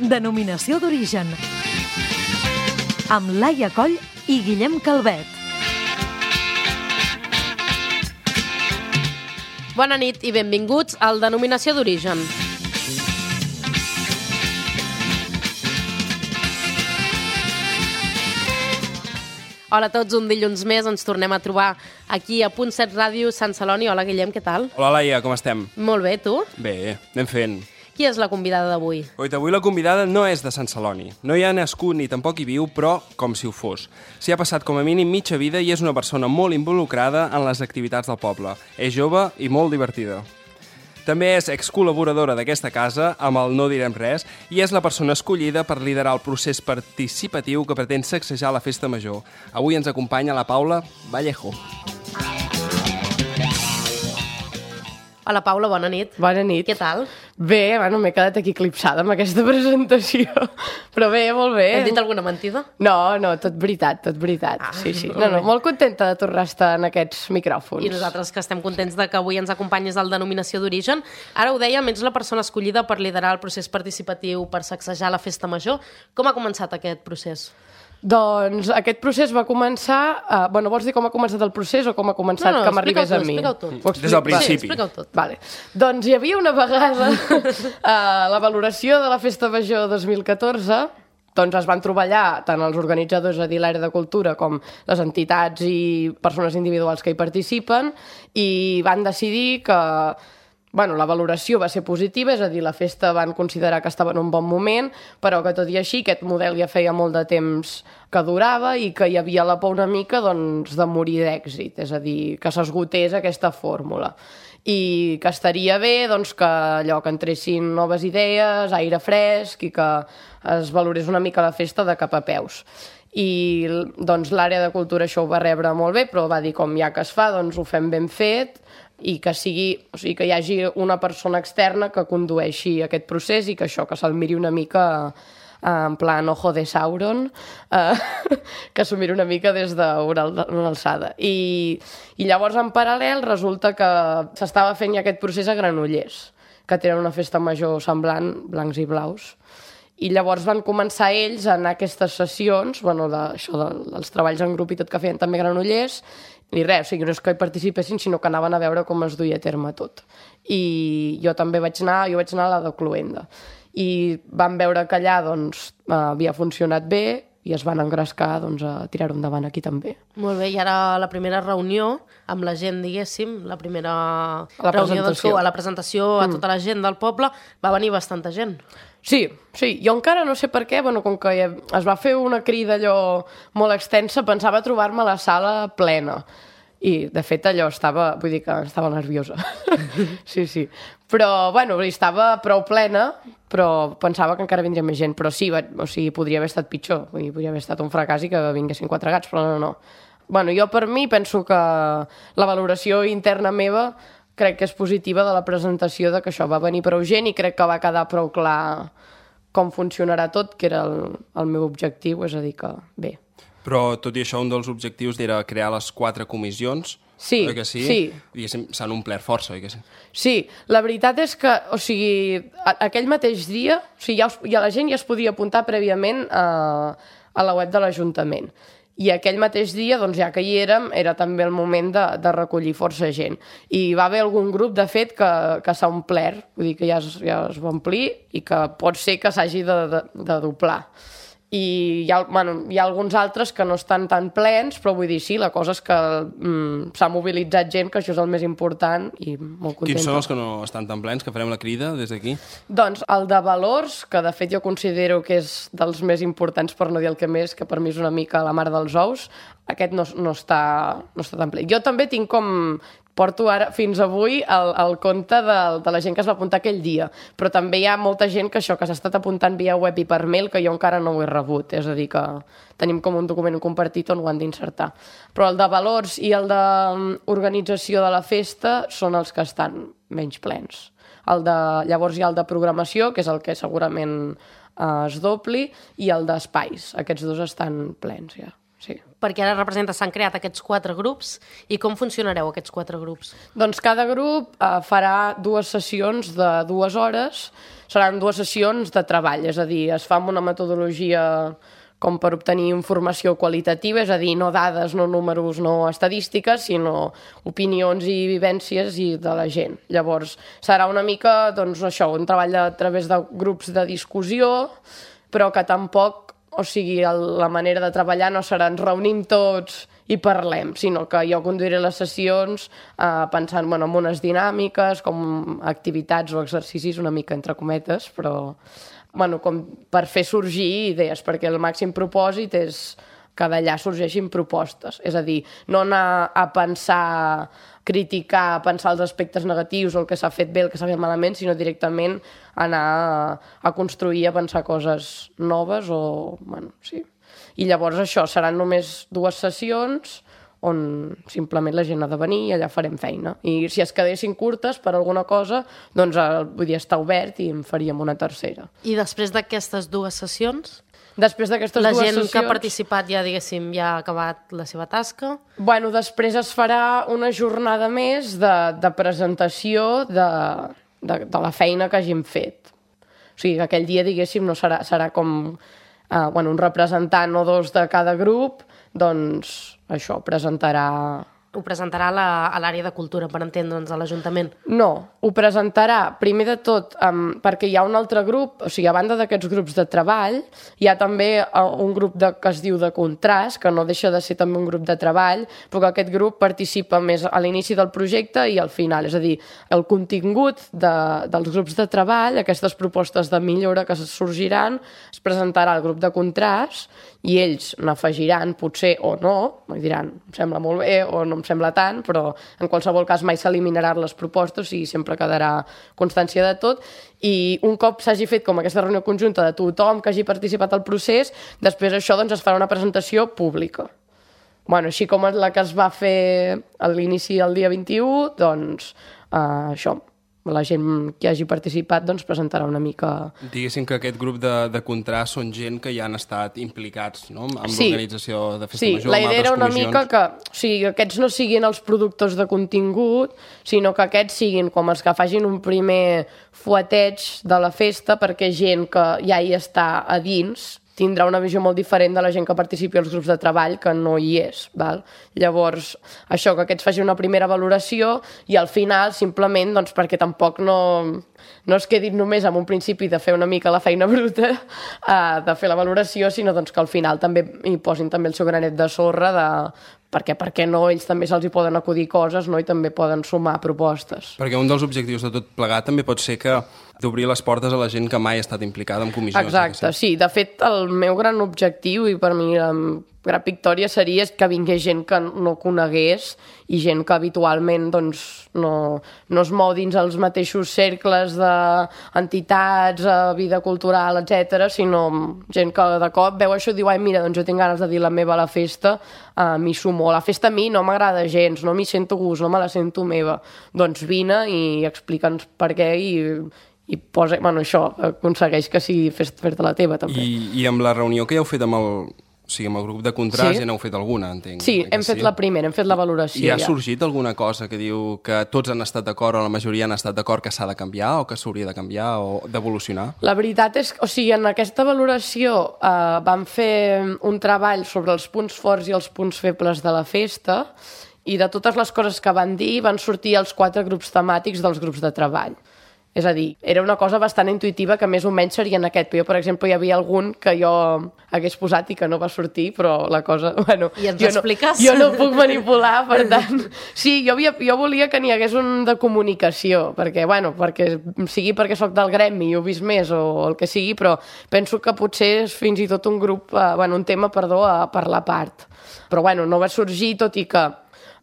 Denominació d'origen. Amb Laia Coll i Guillem Calvet. Bona nit i benvinguts al Denominació d'origen. Hola a tots, un dilluns més ens tornem a trobar aquí a Punt 7 Ràdio Sant Celoni. Hola Guillem, què tal? Hola Laia, com estem? Molt bé, tu? Bé, anem fent. Qui és la convidada d'avui? Avui la convidada no és de Sant Celoni. No hi ha nascut ni tampoc hi viu, però com si ho fos. S'hi ha passat com a mínim mitja vida i és una persona molt involucrada en les activitats del poble. És jove i molt divertida. També és excol·laboradora d'aquesta casa, amb el No direm res, i és la persona escollida per liderar el procés participatiu que pretén sacsejar la festa major. Avui ens acompanya la Paula Vallejo. Hola Paula, bona nit. Bona nit. Què tal? Bé, bueno, m'he quedat aquí eclipsada amb aquesta presentació. Però bé, molt bé. Hem dit alguna mentida? No, tot veritat, tot veritat. Sí. No, molt contenta de tornar a estar en aquests micròfons. I nosaltres que estem contents de que avui ens acompanyis al Denominació d'origen. Ara ho dèiem, ets la persona escollida per liderar el procés participatiu per sacsejar la festa major. Com ha començat aquest procés? Doncs aquest procés va començar... vols dir com ha començat el procés o com ha començat que m'arribés a mi? Explica-ho tot. Des del principi. Sí, explica-ho tot. Vale. Doncs hi havia una vegada la valoració de la Festa Major 2014, doncs es van trobar allà tant els organitzadors, a dir, l'àrea de cultura, com les entitats i persones individuals que hi participen, i van decidir que la valoració va ser positiva, és a dir, la festa van considerar que estava en un bon moment, però que tot i així aquest model ja feia molt de temps que durava i que hi havia la por una mica de morir d'èxit, és a dir, que s'esgotés aquesta fórmula. I que estaria bé que allò que entressin noves idees, aire fresc i que es valorés una mica la festa de cap a peus. I l'àrea de cultura això ho va rebre molt bé, però va dir com ja que es fa, ho fem ben fet i que que hi hagi una persona externa que condueixi aquest procés i que això, que se'l miri una mica en plan ojo de Sauron, que s'ho miri una mica des d'una alçada. I llavors, en paral·lel, resulta que s'estava fent ja aquest procés a Granollers, que tenen una festa major semblant, blancs i blaus. I llavors van començar ells a anar a aquestes sessions, dels treballs en grup i tot que feien també a Granollers, i res, no és que hi participessin, sinó que anaven a veure com es duia a terme tot. I jo també vaig anar a la de Cluenda. I van veure que allà havia funcionat bé i es van engrescar a tirar-ho endavant aquí també. Molt bé, i ara la primera reunió amb la gent, diguéssim, la primera reunió a la presentació a tota la gent del poble, va venir bastanta gent. Sí, jo encara no sé per què, com que es va fer una crida allò molt extensa, pensava trobar-me la sala plena. I, de fet, allò estava nerviosa. Sí. Però, estava prou plena, però pensava que encara vindria més gent. Però sí, podria haver estat pitjor. Podria haver estat un fracàs i que vinguessin 4 gats, però no. Jo per mi penso que la valoració interna meva crec que és positiva de la presentació, de que això va venir prou gent i crec que va quedar prou clar com funcionarà tot, que era el meu objectiu, és a dir que bé. Però, tot i això, un dels objectius era crear les 4 comissions, oi que sí? Sí. Diguéssim, s'han omplert força, oi que sí? Sí, la veritat és que, aquell mateix dia, la gent ja es podia apuntar prèviament a la web de l'Ajuntament. I aquell mateix dia, ja que hi érem, era també el moment de recollir força gent. I va haver algun grup, de fet, que s'ha omplert, vull dir que ja es va omplir i que pot ser que s'hagi de doblar. I hi ha alguns altres que no estan tan plens, però vull dir, sí, la cosa és que s'ha mobilitzat gent, que això és el més important i molt contenta. Quins són els que no estan tan plens, que farem la crida des d'aquí? Doncs el de valors, que de fet jo considero que és dels més importants, per no dir el que més, que per mi és una mica la mare dels ous, aquest no està tan ple. Jo també tinc porto ara, fins avui, el compte de la gent que es va apuntar aquell dia. Però també hi ha molta gent que s'ha estat apuntant via web i per mail, que jo encara no ho he rebut. És a dir, que tenim com un document compartit on ho han d'insertar. Però el de valors i el d'organització de la festa són els que estan menys plens. Llavors hi ha el de programació, que és el que segurament es dobli, i el d'espais. Aquests dos estan plens, ja. Sí. perquè ara representa, s'han creat aquests 4 grups, i com funcionareu aquests 4 grups? Doncs cada grup farà 2 sessions de 2 hores, seran 2 sessions de treball, és a dir, es fa amb una metodologia com per obtenir informació qualitativa, és a dir, no dades, no números, no estadístiques, sinó opinions i vivències de la gent. Llavors, serà una mica, doncs, això, un treball a través de grups de discussió, però que tampoc, o sigui, la manera de treballar no serà ens reunim tots i parlem, sinó que jo conduiré les sessions pensant en unes dinàmiques, com activitats o exercicis, una mica entre cometes, però com per fer sorgir idees, perquè el màxim propòsit és que d'allà sorgeixin propostes. És a dir, no anar a pensar, criticar, pensar els aspectes negatius o el que s'ha fet bé, el que s'ha fet malament, sinó directament anar a construir, a pensar coses noves o... sí. I llavors això, seran només 2 sessions on simplement la gent ha de venir i allà farem feina. I si es quedessin curtes per alguna cosa, doncs vull dir, està obert i en faríem una tercera. I després d'aquestes 2 sessions? Després d'aquestes 2 sessions... La gent que ha participat ja, diguéssim, ja ha acabat la seva tasca? Bueno, després es farà una jornada més de presentació de la feina que hagin fet. O sigui, que aquell dia, diguéssim, no serà com un representant o 2 de cada grup, doncs això, presentarà... Ho presentarà a l'àrea de cultura, per entendre'ns, a l'Ajuntament? No, ho presentarà, primer de tot, perquè hi ha un altre grup, o sigui, a banda d'aquests grups de treball, hi ha també un grup que es diu de contrast, que no deixa de ser també un grup de treball, però que aquest grup participa més a l'inici del projecte i al final, és a dir, el contingut dels grups de treball, aquestes propostes de millora que sorgiran, es presentarà al grup de contrast i ells n'afegiran, potser o no, diran, em sembla molt bé o no em sembla tant, però en qualsevol cas mai s'eliminaran les propostes i sempre quedarà constància de tot. I un cop s'hagi fet com aquesta reunió conjunta de tothom que hagi participat al procés, després això doncs, es farà una presentació pública. Així com la que es va fer a l'inici del dia 21, doncs això, la gent que hagi participat doncs, presentarà una mica... Diguéssim que aquest grup de contrast són gent que ja han estat implicats, no?, amb l'organització de Festa Major, amb altres comissions. Sí, la idea era una mica que aquests no siguin els productors de contingut, sinó que aquests siguin com els que facin un primer fueteig de la festa perquè gent que ja hi està a dins tindrà una visió molt diferent de la gent que participi als grups de treball que no hi és. Val? Llavors, això, que aquests facin una primera valoració i al final, simplement, doncs, perquè tampoc no es quedin només amb un principi de fer una mica la feina bruta, de fer la valoració, sinó doncs, que al final també hi posin també el seu granet de sorra perquè per què no, ells també se'ls hi poden acudir coses, no? I també poden sumar propostes. Perquè un dels objectius de tot plegat també pot ser que d'obrir les portes a la gent que mai ha estat implicada en comissions. Exacte, sí. De fet, el meu gran objectiu, i per mi la gran victòria, seria que vingués gent que no conegués i gent que habitualment doncs, no es mou dins els mateixos cercles d'entitats, vida cultural, etc, sinó gent que de cop veu això i diu, ai, mira, doncs jo tinc ganes de dir la meva a la festa, m'hi sumo. La festa a mi no m'agrada gens, no m'hi sento gust, no me la sento meva. Doncs vine i explica'ns per què i posa, això, aconsegueix que sigui fer-te la teva, també. I amb la reunió que ja heu fet amb el grup de contrast, ja n'heu fet alguna, entenc. Sí, hem fet la primera, hem fet la valoració. I ha sorgit alguna cosa que diu que tots han estat d'acord o la majoria han estat d'acord que s'ha de canviar o que s'hauria de canviar o d'evolucionar? La veritat és que, en aquesta valoració vam fer un treball sobre els punts forts i els punts febles de la festa i de totes les coses que van dir van sortir els 4 grups temàtics dels grups de treball. És a dir, era una cosa bastant intuïtiva que més o menys seria en aquest. Però jo, per exemple, hi havia algun que jo hagués posat i que no va sortir, però la cosa... I ens expliques? Jo no puc manipular, per tant... Sí, jo volia que n'hi hagués un de comunicació, perquè sigui perquè sóc del gremi i ho he vist més o el que sigui, però penso que potser és fins i tot un tema a parlar a part. Però no va sorgir, tot i que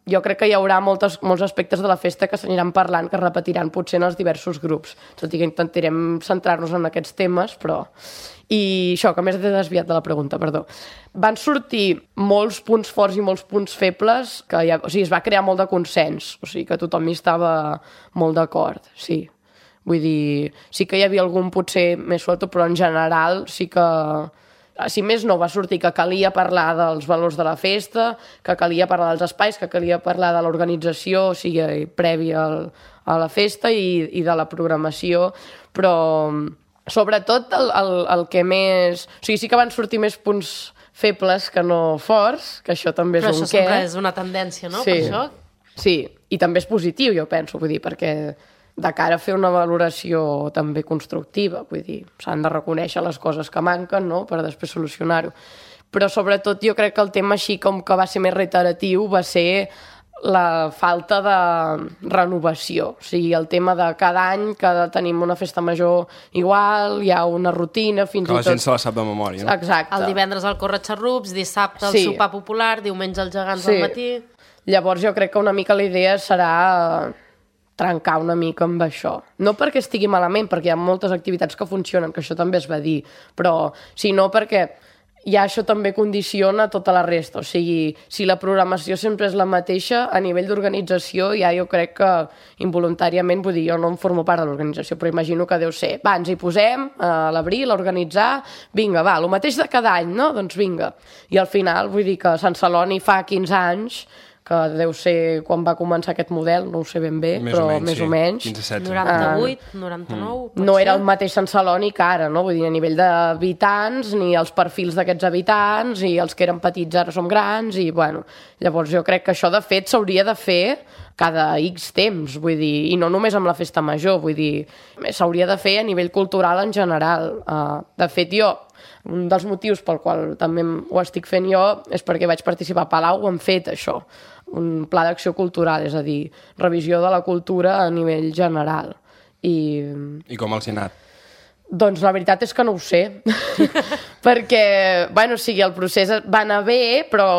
jo crec que hi haurà molts aspectes de la festa que s'aniran parlant, que es repetiran potser en els diversos grups, tot i que intentarem centrar-nos en aquests temes, però... I això, que més he desviat de la pregunta, perdó. Van sortir molts punts forts i molts punts febles, es va crear molt de consens, que tothom hi estava molt d'acord, sí. Vull dir, sí que hi havia algun potser més suelto, però en general sí que si més no, va sortir que calia parlar dels valors de la festa, que calia parlar dels espais, que calia parlar de l'organització, o sigui, prèvia a la festa i de la programació, però sobretot el que més... O sigui, sí que van sortir més punts febles que no forts, que això també és però un què. Però això sempre és una tendència, no? Sí. Per això? Sí, i també és positiu, jo penso, vull dir, perquè de cara a fer una valoració també constructiva, vull dir, s'han de reconèixer les coses que manquen, no?, per després solucionar-ho. Però sobretot jo crec que el tema així com que va ser més reiteratiu va ser la falta de renovació. O sigui, el tema de cada any que tenim una festa major igual, hi ha una rutina, fins i tot... Que la gent se la sap de memòria, no? Exacte. El divendres el córrer-xarrups, dissabte el Sí. sopar popular, diumenge els gegants Sí. al matí... Llavors jo crec que una mica la idea serà trencar una mica amb això. No perquè estigui malament, perquè hi ha moltes activitats que funcionen, que això també es va dir, però sinó perquè ja això també condiciona tota la resta. O sigui, si la programació sempre és la mateixa, a nivell d'organització ja jo crec que involuntàriament, vull dir, jo no em formo part de l'organització, però imagino que deu ser, va, ens hi posem a l'abril a organitzar, vinga, va, el mateix de cada any, no? Doncs vinga. I al final, vull dir que Sant Celoni fa 15 anys, que deu ser quan va començar aquest model, no ho sé ben bé, Més però o menys, més sí. o menys. 15-16. 98, 99... No era el mateix Sant Celoni que ara, no? Vull dir, a nivell d'habitants, ni els perfils d'aquests habitants, i els que eren petits ara som grans, i bueno, llavors jo crec que això de fet s'hauria de fer cada X temps, vull dir, i no només amb la festa major, vull dir, s'hauria de fer a nivell cultural en general. De fet, jo, un dels motius pel qual també ho estic fent jo és perquè vaig participar a Palau, ho hem fet això, un pla d'acció cultural, és a dir, revisió de la cultura a nivell general. I com els hi ha anat? Doncs la veritat és que no ho sé, perquè, bueno, o sigui, el procés va anar bé, però,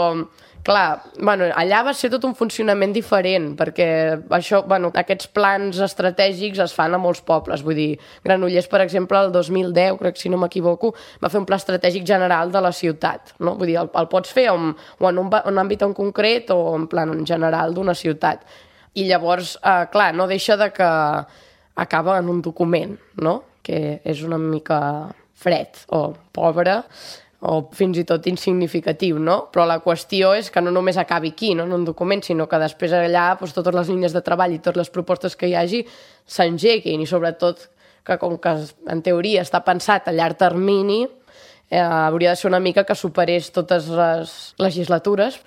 clar, bueno, allà va ser tot un funcionament diferent, perquè això, bueno, aquests plans estratègics es fan a molts pobles, vull dir, Granollers, per exemple, el 2010, crec, si no m'equivoco, va fer un pla estratègic general de la ciutat, no? Vull dir, el pots fer o en un àmbit en concret o en plan en general d'una ciutat. I llavors, clar, no deixa de que acaba en un document, no?, que és una mica fred o pobre, o fins i tot insignificatiu, no? Però la qüestió és que no només acabi aquí, no?, en un document, sinó que després allà doncs, totes les línies de treball i totes les propostes que hi hagi s'engeguin, i sobretot que com que en teoria està pensat a llarg termini, hauria de ser una mica que superés totes les legislatures,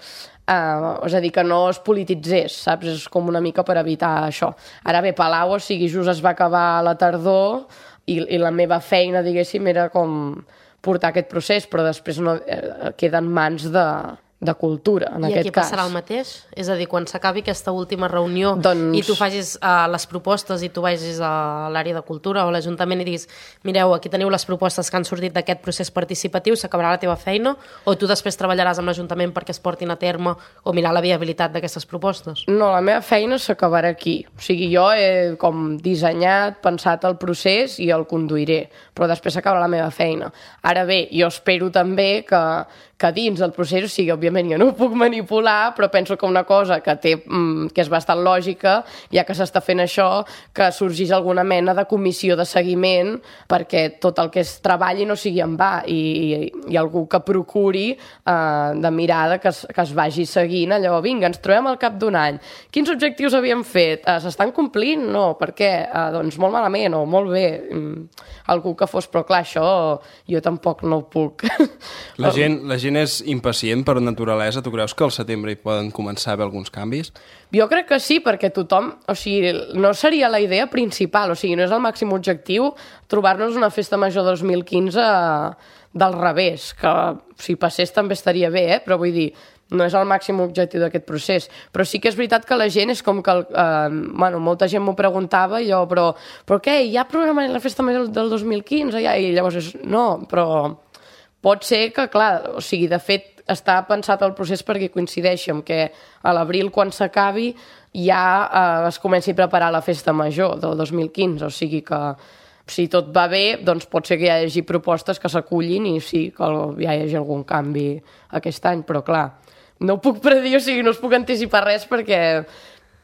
és a dir, que no es polititzés, saps? És com una mica per evitar això. Ara bé, Palau, o sigui, just es va acabar a la tardor i la meva feina, diguéssim, era com portar aquest procés, però després no, queda en mans de cultura, en aquest cas. I aquí passarà el mateix? És a dir, quan s'acabi aquesta última reunió doncs... i tu facis les propostes i tu vagis a l'àrea de cultura o a l'Ajuntament i diguis, mireu, aquí teniu les propostes que han sortit d'aquest procés participatiu, s'acabarà la teva feina, o tu després treballaràs amb l'Ajuntament perquè es portin a terme o mirar la viabilitat d'aquestes propostes? No, la meva feina s'acabarà aquí. O sigui, jo he com dissenyat, pensat el procés i el conduiré, però després s'acabarà la meva feina. Ara bé, jo espero també que dins del procés, o sigui, òbviament jo no ho puc manipular, però penso que una cosa que és bastant lògica, ja que s'està fent això, que sorgís alguna mena de comissió de seguiment perquè tot el que es treballi no sigui en va i algú que procuri de mirada que es vagi seguint allò, vinga, ens trobem al cap d'un any. Quins objectius havíem fet? S'estan complint? No. Per què? Doncs molt malament o molt bé. Algú que fos, però clar, això jo tampoc no ho puc. La gent és impacient per naturalesa. Tu creus que al setembre hi poden començar a haver alguns canvis? Jo crec que sí, perquè tothom... O sigui, no seria la idea principal, o sigui, no és el màxim objectiu trobar-nos una festa major 2015 del revés, que si passés també estaria bé, però vull dir, no és el màxim objectiu d'aquest procés. Però sí que és veritat que la gent és com que... bueno, molta gent m'ho preguntava i jo, però què? Hi ha programa la festa major del 2015? Ja? I llavors no, però pot ser que, clar, o sigui, de fet, està pensat el procés perquè coincideixi amb que a l'abril, quan s'acabi, ja es comenci a preparar la festa major del 2015. O sigui que, si tot va bé, doncs pot ser que hi hagi propostes que s'acullin i sí, que ja hi hagi algun canvi aquest any, però clar, no ho puc predir, o sigui, no us puc anticipar res perquè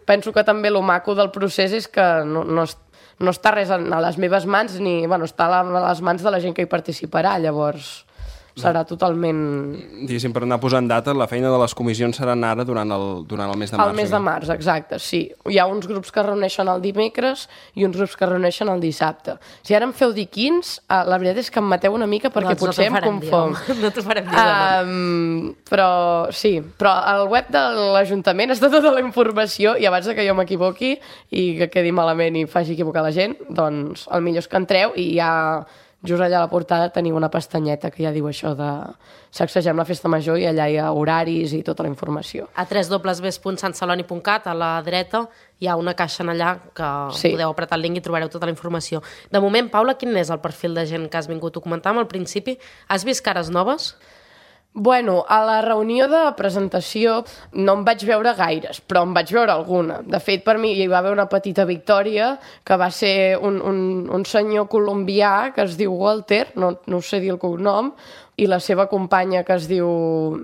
penso que també lo maco del procés és que no està res a les meves mans ni, bueno, està a les mans de la gent que hi participarà, llavors... serà totalment... Diguéssim, per anar posant data, la feina de les comissions seran ara durant el mes de març. El mes de març, exacte, sí. Hi ha uns grups que es reuneixen el dimecres i uns grups que es reuneixen el dissabte. Si ara em feu dir quins, la veritat és que em mateu una mica perquè potser em confon. No t'ho farem dir, però sí, però al web de l'Ajuntament està tota la informació i abans que jo m'equivoqui i que quedi malament i faci equivocar la gent, doncs el millor és que entreu i ja... Just allà a la portada teniu una pestanyeta que ja diu això de sacsegem la festa major i allà hi ha horaris i tota la informació. A www.santceloni.cat, a la dreta, hi ha una caixa en allà que podeu apretar el link i trobareu tota la informació. De moment, Paula, quin és el perfil de gent que has vingut? Ho comentàvem al principi. Has vist cares noves? Bueno, a la reunió de presentació no em vaig veure gaires, però em vaig veure alguna. De fet, per mi hi va haver una petita victòria que va ser un senyor colombià que es diu Walter, no sé dir el cognom, i la seva companya que es diu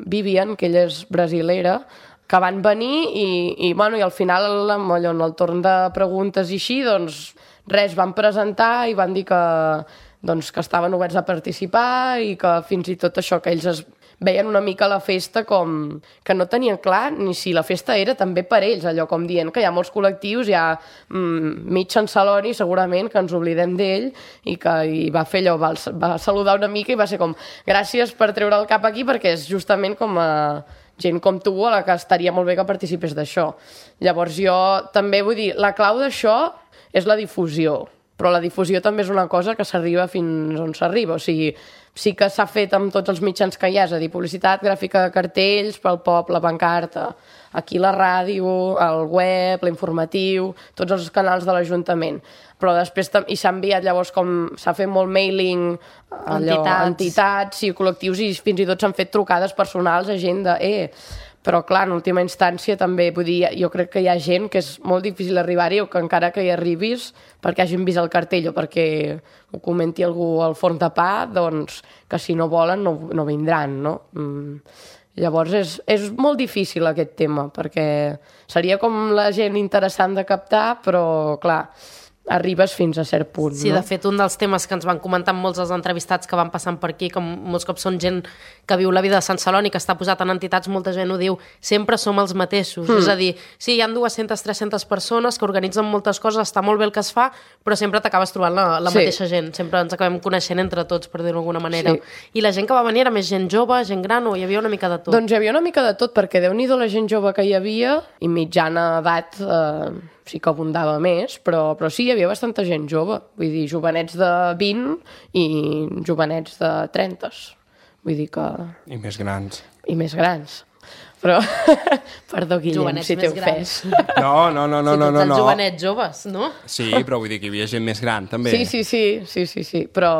Vivian, que ella és brasilera, que van venir i al final, en el torn de preguntes i així, doncs res, van presentar i van dir que estaven oberts a participar i que fins i tot això, que ells veien una mica la festa com que no tenien clar ni si la festa era també per ells, allò com dient que hi ha molts col·lectius, hi ha mig Sant Celoni segurament que ens oblidem d'ell i va fer allò, va saludar una mica i va ser com gràcies per treure el cap aquí perquè és justament com a gent com tu a la que estaria molt bé que participés d'això. Llavors jo també vull dir, la clau d'això és la difusió, però la difusió també és una cosa que s'arriba fins on s'arriba, o sigui, sí que s'ha fet amb tots els mitjans que hi ha, és a dir, publicitat, gràfica de cartells pel poble, pancarta, aquí la ràdio, el web, l'informatiu, tots els canals de l'Ajuntament. Però després i s'ha enviat llavors com s'ha fet molt mailing a entitats i col·lectius i fins i tot s'han fet trucades personals a gent de però clar, en última instància també, vull dir, jo crec que hi ha gent que és molt difícil arribar-hi o que encara que hi arribis perquè hagin vist el cartell o perquè ho comenti algú al forn de pa, doncs que si no volen no vindran, no? Llavors és molt difícil aquest tema perquè seria com la gent interessant de captar, però clar, arribes fins a cert punt. Sí, no? De fet, un dels temes que ens van comentar molts dels entrevistats que van passant per aquí, que molts cops són gent que viu la vida de Sant Celoni, que està posat en entitats, molta gent ho diu, sempre som els mateixos. És a dir, sí, hi ha 200-300 persones que organitzen moltes coses, està molt bé el que es fa, però sempre t'acabes trobant la mateixa gent. Sempre ens acabem coneixent entre tots, per dir-ho d'alguna manera. Sí. I la gent que va venir era més gent jove, gent gran, o hi havia una mica de tot? Doncs hi havia una mica de tot, perquè Déu-n'hi-do la gent jove que hi havia, i mitjana edat sí que abundava més, però sí, hi havia bastanta gent jove. Vull dir, jovenets de 20 i jovenets de 30. Vull dir que... I més grans. I més grans. Però, perdó, Guillem, jovenets si t'he ofès. No. Si tots els jovenets joves, no? Sí, però vull dir que hi havia gent més gran, també. Sí. Però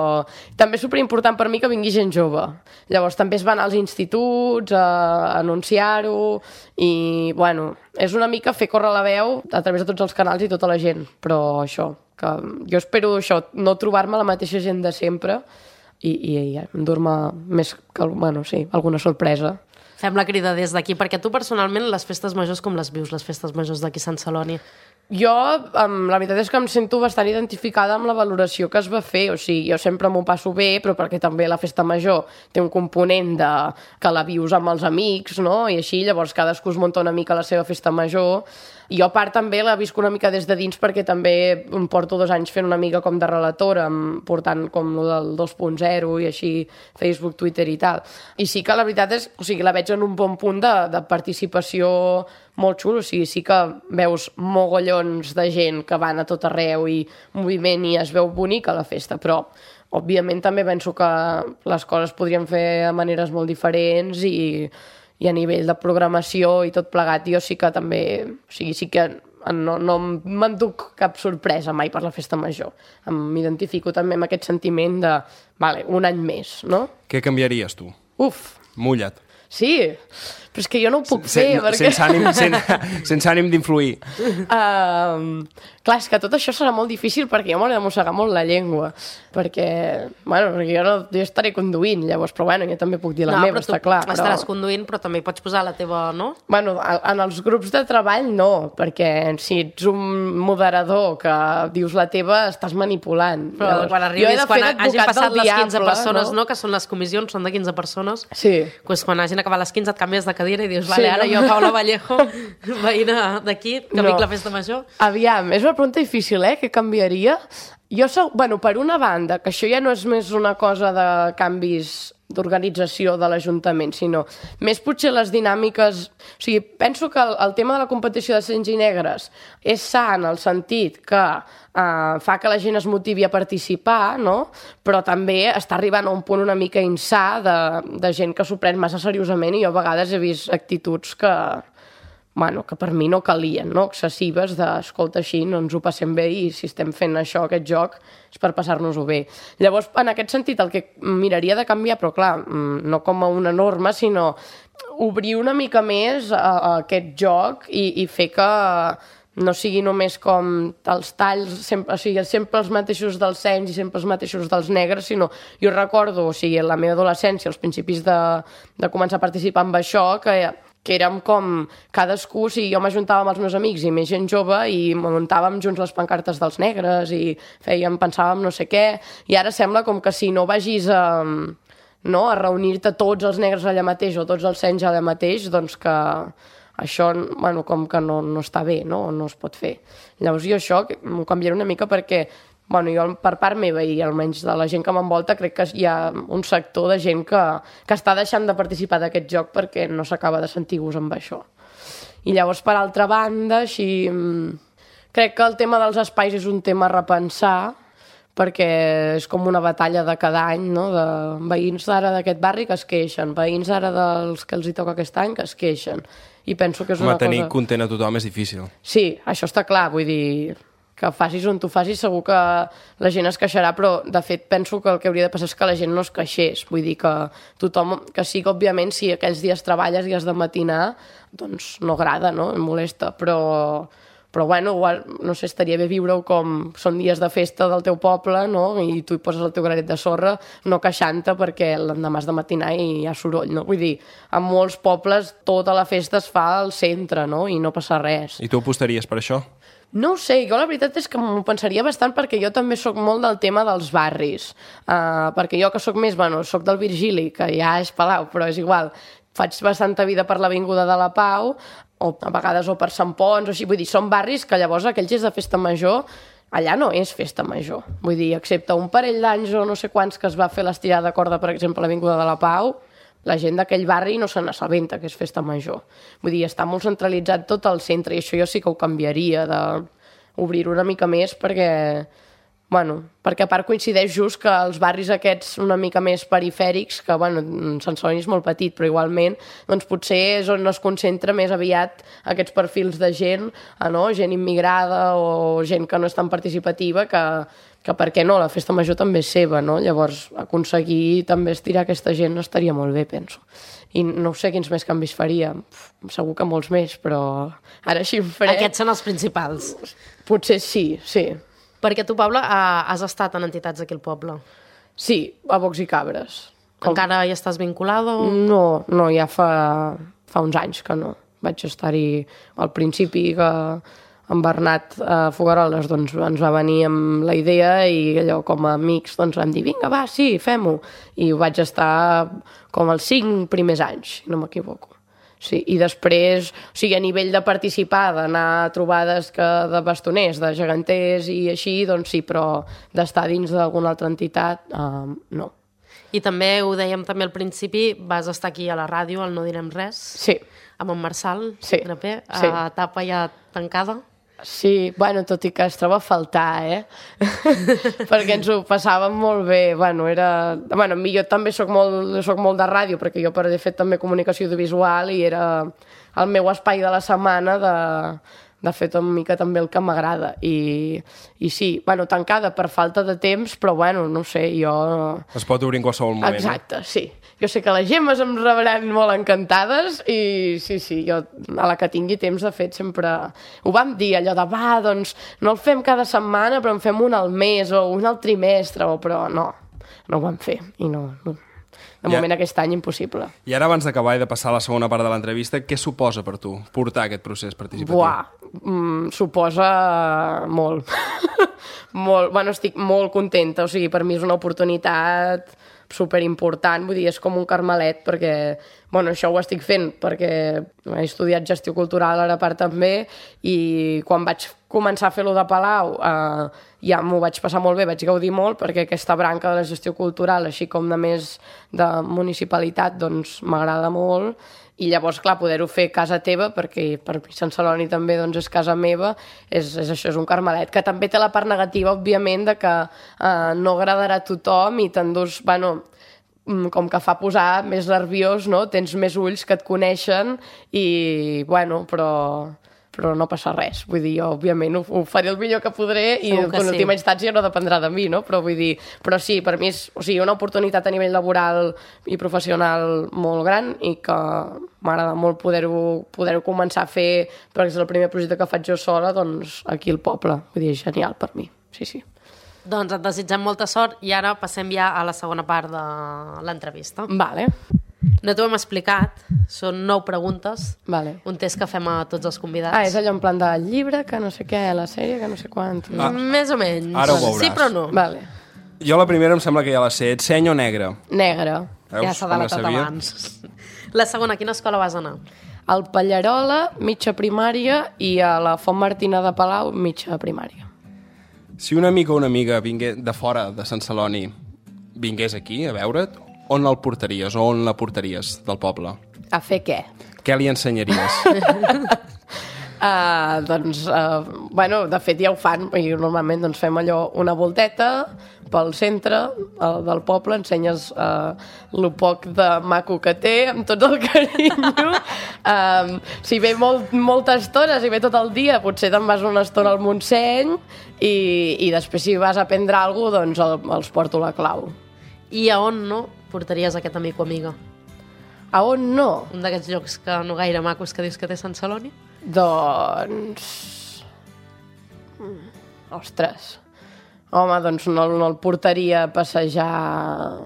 també és superimportant per mi que vingui gent jove. Llavors també es van als instituts a anunciar-ho i, bueno, és una mica fer córrer la veu a través de tots els canals i tota la gent. Però això, que jo espero això, no trobar-me la mateixa gent de sempre i endur-me més que, bueno, sí, alguna sorpresa. Fem la crida des d'aquí, perquè tu personalment les festes majors com les vius, les festes majors d'aquí a Sant Celoni? Jo, la veritat és que em sento bastant identificada amb la valoració que es va fer, o sigui, jo sempre m'ho passo bé, però perquè també la festa major té un component de que la vius amb els amics, no?, i així, llavors cadascú es munta una mica la seva festa major. Jo a part també la visc una mica des de dins perquè també em porto 2 anys fent una mica com de relatora, portant com el del 2.0 i així Facebook, Twitter i tal. I sí que la veritat és, o sigui, la veig en un bon punt de participació molt xulo, o sigui, sí que veus mogollons de gent que van a tot arreu i moviment i es veu bonica la festa, però òbviament també penso que les coses podrien fer de maneres molt diferents i a nivell de programació i tot plegat jo sí que també, o sigui, sí que no m'enduc cap sorpresa mai per la festa major. M'identifico també amb aquest sentiment de, vale, un any més, no? Què canviaries tu? Uf! Mulla't. Sí, però és que jo no ho puc fer, perquè... Sense ànim d'influir. Clar, és que tot això serà molt difícil perquè jo m'ho he de mossegar molt la llengua, perquè jo estaré conduint, llavors, però bueno, jo també puc dir la meva, està clar. No, però tu estaràs conduint, però també pots posar la teva, no? Bueno, en els grups de treball no, perquè si ets un moderador que dius la teva, estàs manipulant. Però quan arribis, quan hagin passat les 15 persones, no? Que són les comissions, són de 15 persones, doncs quan hagin acabat les 15 et canvies de cadira i dius, vale, ara jo, Paula Vallejo, veïna d'aquí, que vinc la festa major. Aviam, és una pregunta difícil, què canviaria? Jo soc, per una banda, que això ja no és més una cosa de canvis d'organització de l'Ajuntament, sinó més potser les dinàmiques... O sigui, penso que el tema de la competició de cents i negres és sa en el sentit que fa que la gent es motivi a participar, no? Però també està arribant a un punt una mica insà de gent que s'ho pren massa seriosament i jo a vegades he vist actituds que per mi no calien, no? Excessives escolta, així no ens ho passem bé i si estem fent això, aquest joc, és per passar-nos-ho bé. Llavors, en aquest sentit, el que miraria de canviar, però clar, no com a una norma, sinó obrir una mica més aquest joc i fer que no sigui només com els talls, sempre els mateixos dels cens i sempre els mateixos dels negres, sinó jo recordo, en la meva adolescència, als principis de començar a participar amb això, que érem com cadascú, jo m'ajuntava amb els meus amics i més gent jove i muntàvem junts les pancartes dels negres i pensàvem no sé què, i ara sembla com que si no vagis a reunir-te tots els negres allà mateix o tots els cens allà mateix, doncs que això, com que no està bé, no es pot fer. Llavors jo això m'ho canviaré una mica perquè jo per part meva i almenys de la gent que m'envolta crec que hi ha un sector de gent que està deixant de participar d'aquest joc perquè no s'acaba de sentir gust amb això. I llavors, per altra banda, crec que el tema dels espais és un tema a repensar perquè és com una batalla de cada any, no? De veïns d'ara d'aquest barri que es queixen, veïns d'ara dels que els hi toca aquest any que es queixen. I penso que és una cosa... Tenir content a tothom és difícil. Sí, això està clar, vull dir... que facis on tu facis, segur que la gent es queixarà, però de fet penso que el que hauria de passar és que la gent no es queixés, vull dir que tothom, que sí que òbviament si aquells dies treballes i has de matinar, doncs no agrada, no? Em molesta, però igual, no sé, estaria bé viure-ho com són dies de festa del teu poble, no? I tu hi poses el teu granet de sorra, no queixant-te perquè l'endemà has de matinar i hi ha soroll, no? Vull dir, en molts pobles tota la festa es fa al centre, no? I no passa res. I tu apostaries per això? No ho sé, jo la veritat és que m'ho pensaria bastant perquè jo també sóc molt del tema dels barris, perquè jo que sóc més, sóc del Virgili, que ja és Palau, però és igual, faig bastanta vida per l'Avinguda de la Pau, o a vegades o per Sant Pons, o així, vull dir, són barris que llavors aquells dies de festa major, allà no és festa major, vull dir, excepte un parell d'anys o no sé quants que es va fer l'estirada de corda, per exemple, a l'Avinguda de la Pau, la gent d'aquell barri no se n'assabenta que és festa major. Vull dir, està molt centralitzat tot al centre i això jo sí que ho canviaria, d'obrir-ho una mica més perquè a part coincideix just que els barris aquests una mica més perifèrics, que Sant Celoni és molt petit, però igualment doncs potser és on es concentra més aviat aquests perfils de gent, gent immigrada o gent que no és tan participativa, que per què no, la festa major també és seva, no? Llavors aconseguir també estirar aquesta gent estaria molt bé, penso. I no sé quins més canvis faria, segur que molts més, però ara així em faré... Aquests són els principals. Potser sí. Perquè tu, Paula, has estat en entitats d'aquí al poble. Sí, a Bocs i Cabres. Encara hi estàs vinculada? No, ja fa uns anys que no. Vaig estar-hi al principi que en Bernat Fogaroles ens va venir amb la idea i allò com a amics vam dir vinga, va, sí, fem-ho. I ho vaig estar com els 5 primers anys, si no m'equivoco. Sí, i després, a nivell de participar, d'anar a trobades de bastoners, de geganters i així, doncs sí, però d'estar dins d'alguna altra entitat, no. I també, ho dèiem també al principi, vas estar aquí a la ràdio, al No Direm Res, sí, amb en Marçal, Graper, a etapa ja tancada. Sí, tot i que es troba a faltar, perquè ens ho passàvem molt bé, jo també soc molt de ràdio, perquè jo de fet també comunicació audiovisual i era el meu espai de la setmana de fer una mica també el que m'agrada i sí, tancada per falta de temps, però no sé, jo... Es pot obrir en qualsevol moment. Exacte, sí. jo sé que les Gemmes em rebran molt encantades i sí, jo a la que tingui temps, de fet, sempre ho vam dir, allò de, doncs no el fem cada setmana, però en fem un al mes o un al trimestre, però no ho vam fer i no. De moment aquest any impossible. I ara, abans d'acabar i de passar a la segona part de l'entrevista, què suposa per tu portar aquest procés participatiu? Suposa molt. Molt. Bueno, estic molt contenta, o sigui, per mi és una oportunitat superimportant, vull dir, és com un carmelet, perquè, bueno, això ho estic fent perquè he estudiat gestió cultural ara part també, i quan vaig començar a fer-lo de Palau ja m'ho vaig passar molt bé, vaig gaudir molt, perquè aquesta branca de la gestió cultural, així com de més de municipalitat, doncs m'agrada molt, i llavors, clar, poder-ho fer a casa teva, perquè per mi Sant Celoni també doncs, és casa meva, és això, és un carmelet, que també té la part negativa, òbviament, de que no agradarà a tothom i t'endús, bueno, com que fa posar més nerviós, no? Tens més ulls que et coneixen i, bueno, però no passa res. Vull dir, jo, òbviament, ho faré el millor que podré i en última instància no dependrà de mi, no? Però vull dir, però sí, per mi és una oportunitat a nivell laboral i professional molt gran i que m'agrada molt poder-ho començar a fer, perquè és el primer projecte que faig jo sola, doncs aquí al poble. Vull dir, és genial per mi, sí. Doncs et desitgem molta sort i ara passem ja a la segona part de l'entrevista. Vale. No t'ho hem explicat, són 9 preguntes, vale. Un test que fem a tots els convidats. És allò en plan del llibre, que no sé què, la sèrie, que no sé quant. Més o menys. Ara ho veuràs. Sí, però no. Vale. Jo la primera em sembla que ja la sé. Ets seny o negre? Negre. Veus? Ja s'ha delatat abans. La segona, a quina escola vas anar? Al Pallarola, mitja primària, i a la Font Martina de Palau, mitja primària. Si un amic o una amiga de fora de Sant Celoni vingués aquí a veure't, on el portaries o on la portaries del poble? A fer què? Què li ensenyaries? Bueno, de fet ja ho fan i normalment doncs, fem allò una volteta pel centre del poble, ensenyes lo poc de maco que té amb tot el carinyo. Si ve molta estona, si ve tot el dia, potser te'n vas una estona al Montseny i després si vas a prendre alguna cosa, doncs els porto la clau. I a on no portaries aquest amic o amiga? A on no? Un d'aquests llocs que no gaire macos que dius que té Sant Celoni? Doncs... Ostres. Home, doncs no el portaria a passejar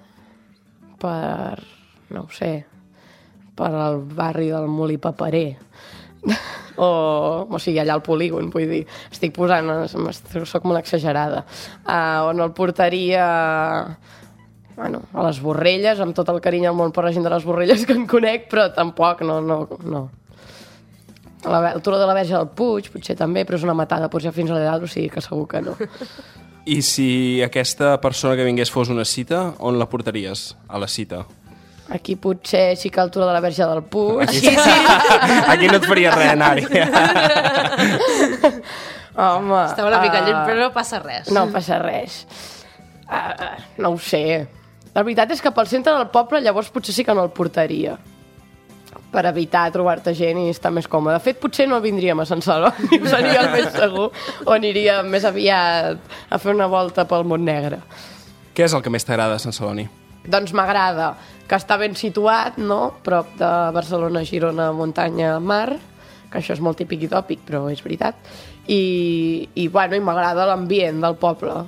per... no ho sé, per al barri del Molí Paperer. O sigui, allà al polígon, vull dir. Estic posant... soc molt exagerada. On el portaria... Bueno, a les Borrelles, amb tot el carinyo al món per la gent de les Borrelles que en conec, però tampoc, no. El turó de la Verge del Puig, potser també, però és una matada, potser fins a dalt, o sigui que segur que no. I si aquesta persona que vingués fos una cita, on la portaries a la cita? Aquí potser sí que el turó de la Verge del Puig. Aquí, aquí no et faria res anar-hi. Home... Estava una mica lluny, però no passa res. No passa res. No ho sé. La veritat és que pel centre del poble llavors potser sí que no el portaria, per evitar trobar-te gent i estar més còmode. De fet, potser no vindríem a Sant Celoni, seria el més segur, o aniria més aviat a fer una volta pel Montnegre. Què és el que més t'agrada de Sant Celoni? Doncs m'agrada que està ben situat, no?, prop de Barcelona, Girona, muntanya, mar, que això és molt típic i tòpic, però és veritat, i m'agrada l'ambient del poble.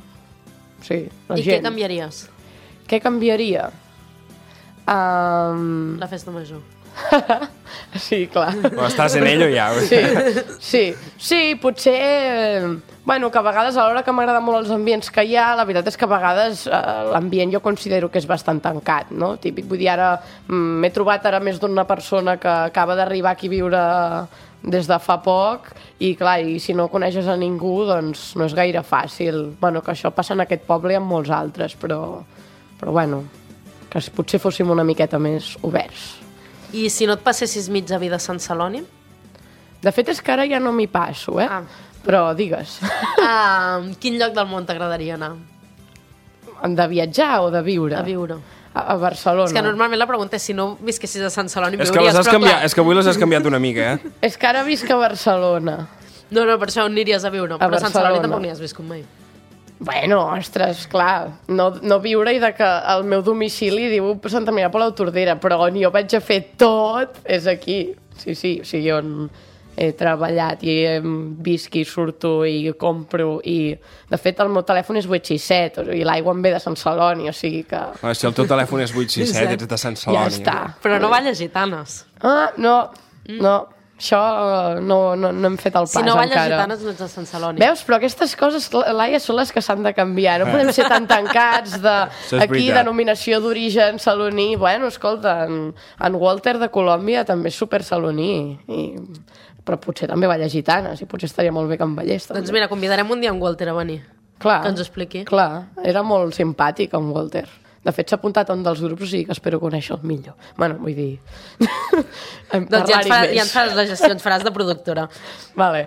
Sí, la gent. I què canviaries? Què canviaria? La festa major. Sí, clar. Però estàs en ello ja. Sí, potser... Bueno, que a vegades, a l'hora que m'agraden molt els ambients que hi ha, la veritat és que a vegades l'ambient jo considero que és bastant tancat, no? Típic, vull dir, ara m'he trobat ara més d'una persona que acaba d'arribar aquí a viure des de fa poc i, clar, i si no coneixes a ningú, doncs no és gaire fàcil. Bueno, que això passa en aquest poble i en molts altres, però bueno, que potser fóssim una miqueta més oberts. I si no et passessis mitja vida a Sant Celoni? De fet, és que ara ja no m'hi passo, Però digues. Quin lloc del món t'agradaria anar? De viatjar o de viure? A viure. A Barcelona. És que normalment la pregunta és si no visquessis a Sant Celoni És que avui les has canviat una mica, És que ara visc a Barcelona. No, per això on aniries a viure? Però a Sant Celoni tampoc n'hi has viscut mai. Bueno, ostres, clar, no viure-hi de que el meu domicili diu Santa Maria per l'Autordera, però on jo vaig a fer tot és aquí. Sí, o sigui, on he treballat i visc i surto i compro i... De fet, el meu telèfon és 867 i l'aigua em ve de Sant Celoni, o sigui que... Si el teu telèfon és 867, ets de Sant Celoni. Ja està. Però no balles gitanes. No. Això no hem fet el pas encara. Si no balles gitanes no ets de Sant Celoni. Veus? Però aquestes coses, Laia, són les que s'han de canviar. No podem ser tan tancats aquí, denominació d'origen saloní. Bueno, escolta, en Walter de Colòmbia també és super saloní. Però potser també balla gitanes i potser estaria molt bé que en ballés. Doncs mira, convidarem un dia en Walter a venir. Clar, que ens ho expliqui. Clar, era molt simpàtic en Walter. De fet, s'ha apuntat a un dels grups i que espero conèixer el millor. Bueno, vull dir... Doncs ja ens faràs la gestió, ens faràs de productora. Vale.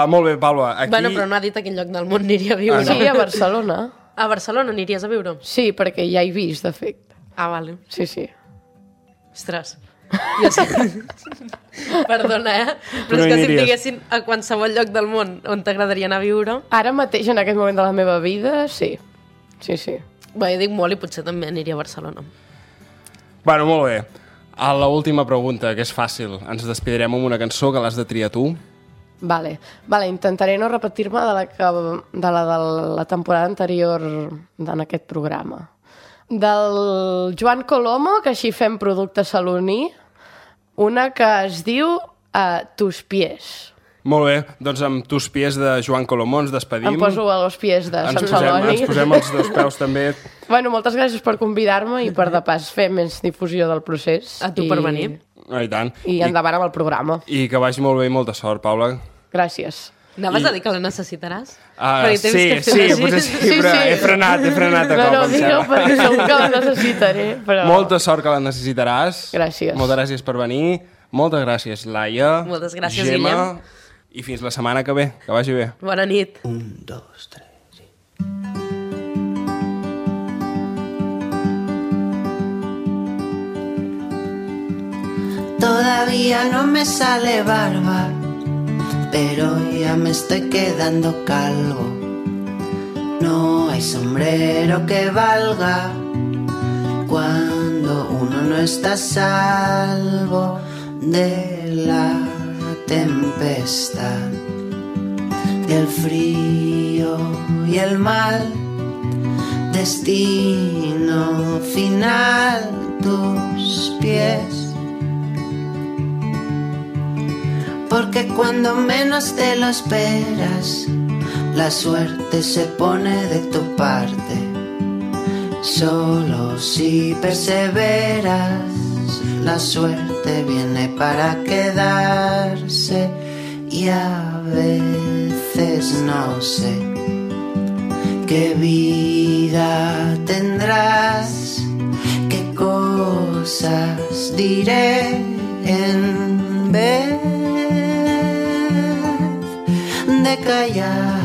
Molt bé, Paula. Aquí... Bueno, però no ha dit a quin lloc del món aniria a viure. Sí, a Barcelona. A Barcelona aniries a viure? Sí, perquè ja he vist, de fet. Ah, vale. Sí. Ostres. Jo sí. Perdona, però és que si em diguessin a qualsevol lloc del món on t'agradaria anar a viure... Ara mateix, en aquest moment de la meva vida, sí. Sí. Bé, jo dic molt i potser també aniria a Barcelona. Bueno, molt bé. A l'última pregunta, que és fàcil. Ens despedirem amb una cançó que l'has de triar tu. Vale, intentaré no repetir-me de la temporada anterior en aquest programa. Del Joan Colomo, que així fem producte saloní, una que es diu Tus pies. Molt bé, doncs amb Tus pies de Joan Colomó ens despedim. Em poso a los pies de Sant Celoni. Ens posem els dos peus també. Bueno, moltes gràcies per convidar-me i per de pas fer més difusió del procés. A tu per venir. I tant. I endavant amb el programa. I que vagi molt bé i molta sort, Paula. Gràcies. Anaves a dir que la necessitaràs? Sí, potser sí, però he frenat a cop. No, digue perquè segur que la necessitaré. Però... Molta sort que la necessitaràs. Gràcies. Moltes gràcies per venir. Moltes gràcies, Laia. Moltes gràcies, Gemma, Guillem. I fins la setmana que ve. Que vagi bé. Bona nit. 1, 2, 3, sí. Todavía no me sale barba, pero ya me estoy quedando calvo. No hay sombrero que valga cuando uno no está a salvo de la tempestad, del frío y el mal. Destino final, tus pies. Porque cuando menos te lo esperas, la suerte se pone de tu parte. Solo si perseveras, la suerte viene para quedarse. Y a veces no sé qué vida tendrás, qué cosas diré en vez de callar.